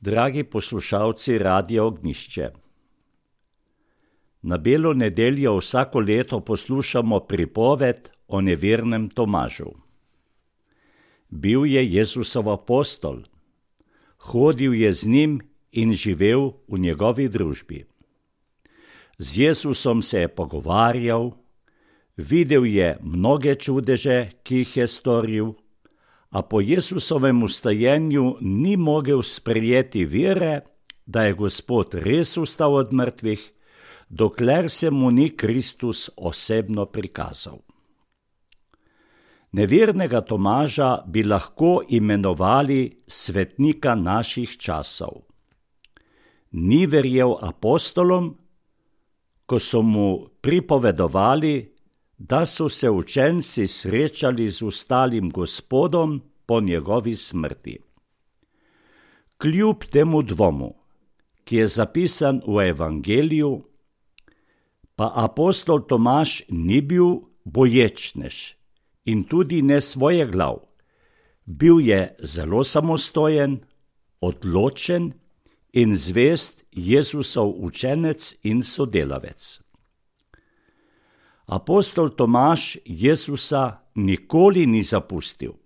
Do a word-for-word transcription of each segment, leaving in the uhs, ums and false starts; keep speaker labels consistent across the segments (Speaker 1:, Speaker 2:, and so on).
Speaker 1: Dragi poslušalci Radia Ognjišče, na Belo nedeljo vsako leto poslušamo pripoved o nevernem Tomažu. Bil je Jezusov apostol, hodil je z njim in živel v njegovi družbi. Z Jezusom se je pogovarjal, videl je mnoge čudeže, ki jih je storil, a po Jezusovem vstajenju ni mogel sprejeti vere, da je Gospod res vstal od mrtvih, dokler se mu ni Kristus osebno prikazal. Nevernega Tomaža bi lahko imenovali svetnika naših časov. Ni verjel apostolom, ko so mu pripovedovali, da so se učenci srečali z vstalim Gospodom po njegovi smrti. Kljub temu dvomu, ki je zapisan v Evangeliju, pa apostol Tomaž ni bil boječnež in tudi ne svojeglav. Bil je zelo samostojen, odločen in zvest Jezusov učenec in sodelavec. Apostol Tomaž Jezusa nikoli ni zapustil.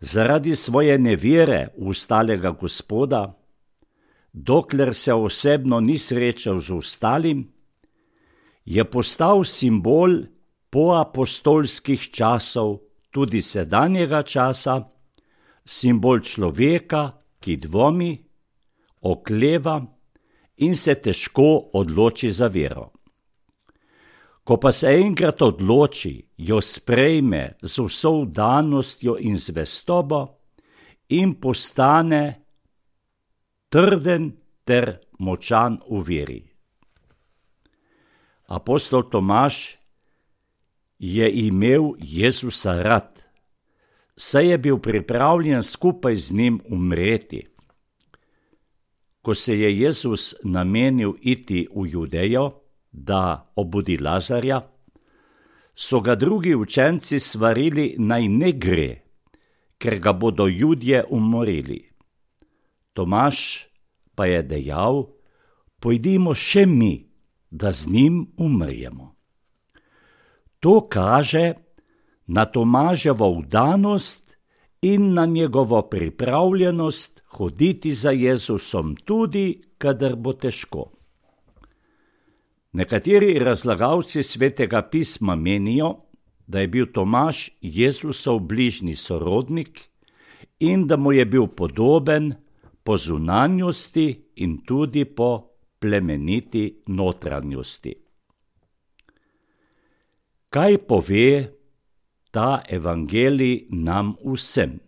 Speaker 1: Zaradi svoje nevere v vstalega Gospoda, dokler se osebno ni srečal z vstalim, je postal simbol poapostolskih časov, tudi sedanjega časa, simbol človeka, ki dvomi, okleva in se težko odloči za vero. Ko pa se enkrat odloči, jo sprejme z vso vdanostjo in zvestobo in postane trden ter močan v veri. Apostol Tomaž je imel Jezusa rad, saj je bil pripravljen skupaj z njim umreti. Ko se je Jezus namenil iti v Judejo, da obudi Lazarja, so ga drugi učenci svarili, naj ne gre, ker ga bodo Judje umorili. Tomaž pa je dejal, pojdimo še mi, da z njim umremo. To kaže na Tomaževo vdanost in na njegovo pripravljenost hoditi za Jezusom tudi, kadar bo težko. Nekateri razlagalci Svetega pisma menijo, da je bil Tomaž Jezusov bližnji sorodnik in da mu je bil podoben po zunanjosti in tudi po plemeniti notranjosti. Kaj pove ta evangelij nam vsem?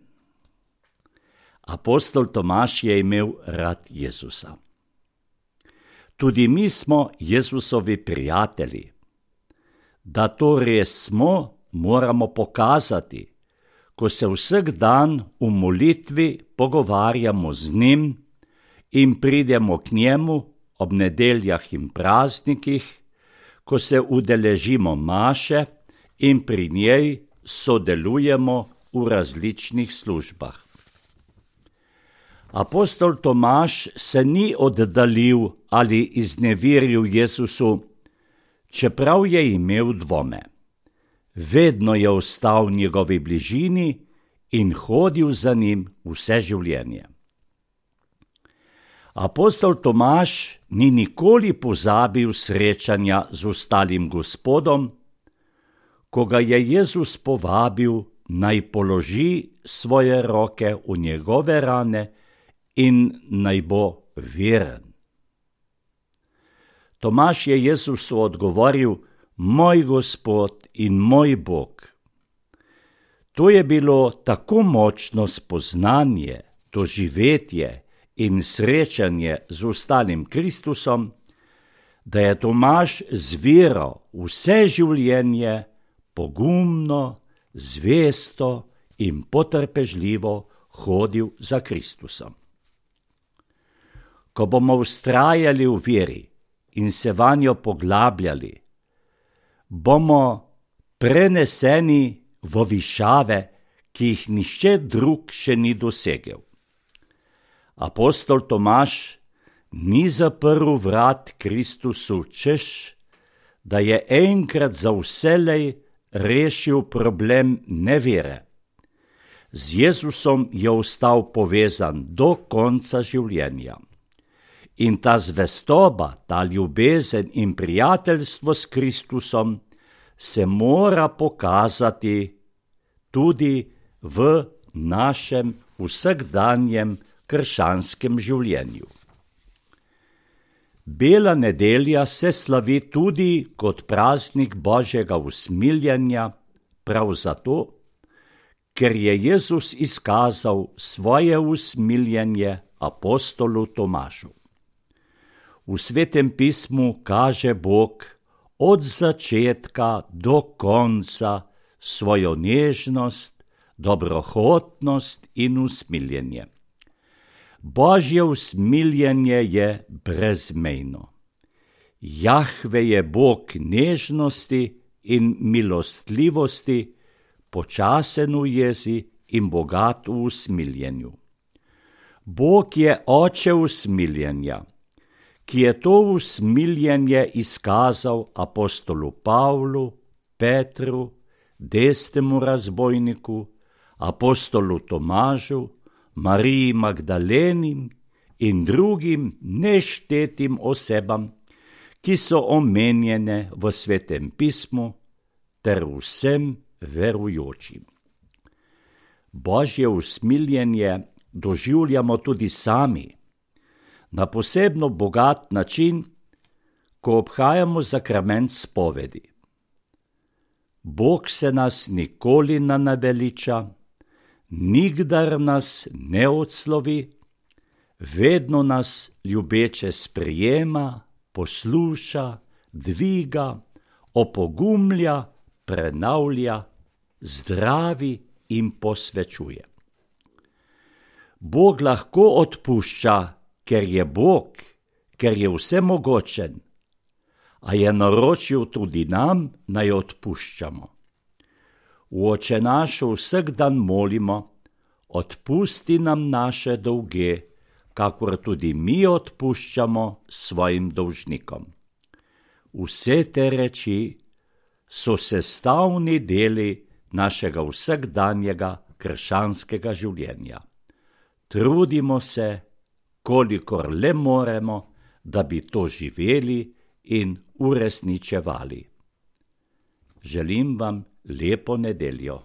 Speaker 1: Apostol Tomaž je imel rad Jezusa. Tudi mi smo Jezusovi prijatelji. Da to res smo, moramo pokazati, ko se vsak dan v molitvi pogovarjamo z njim in pridemo k njemu ob nedeljah in praznikih, ko se udeležimo maše in pri njej sodelujemo v različnih službah. Apostol Tomaž se ni oddaljil ali izneveril Jezusu, čeprav je imel dvome. Vedno je ostal v njegovi bližini in hodil za njim vse življenje. Apostol Tomaž ni nikoli pozabil srečanja z vstalim Gospodom, ko ga je Jezus povabil, naj položi svoje roke v njegove rane in naj bo veren. Tomaž je Jezusu odgovoril, moj Gospod in moj Bog. To je bilo tako močno spoznanje, doživetje in srečanje z vstalim Kristusom, da je Tomaž z vero vse življenje pogumno, zvesto in potrpežljivo hodil za Kristusom. Ko bomo vztrajali v veri in se vanjo poglabljali, bomo preneseni v višave, ki jih nihče drug še ni dosegel. Apostol Tomaž ni zaprl vrat Kristusu, češ, da je enkrat za vselej rešil problem nevere. Z Jezusom je ostal povezan do konca življenja. In ta zvestoba, ta ljubezen in prijateljstvo s Kristusom se mora pokazati tudi v našem vsakdanjem krščanskem življenju. Bela nedelja se slavi tudi kot praznik Božjega usmiljenja, prav zato, ker je Jezus izkazal svoje usmiljenje apostolu Tomažu. V Svetem pismu kaže Bog od začetka do konca svojo nežnost, dobrohotnost in usmiljenje. Božje usmiljenje je brezmejno. Jahve je Bog nežnosti in milostljivosti, počasen v jezi in bogat v usmiljenju. Bog je oče usmiljenja, ki je to usmiljenje izkazal apostolu Pavlu, Petru, desnemu razbojniku, apostolu Tomažu, Mariji Magdaleni in drugim neštetim osebam, ki so omenjene v Svetem pismu, ter vsem verujočim. Božje usmiljenje doživljamo tudi sami, na posebno bogat način, ko obhajamo zakrament spovedi. Bog se nas nikoli ne naveliča, nikdar nas ne odslovi, vedno nas ljubeče sprejema, posluša, dviga, opogumlja, prenavlja, zdravi in posvečuje. Bog lahko odpušča, ker je Bog, ker je vsemogočen, a je naročil tudi nam, naj odpuščamo. V Oče naš vsak dan molimo, odpusti nam naše dolge, kakor tudi mi odpuščamo svojim dolžnikom. Vse te reči so sestavni deli našega vsakdanjega krščanskega življenja. Trudimo se, kolikor le moremo, da bi to živeli in uresničevali. Želim vam lepo nedeljo.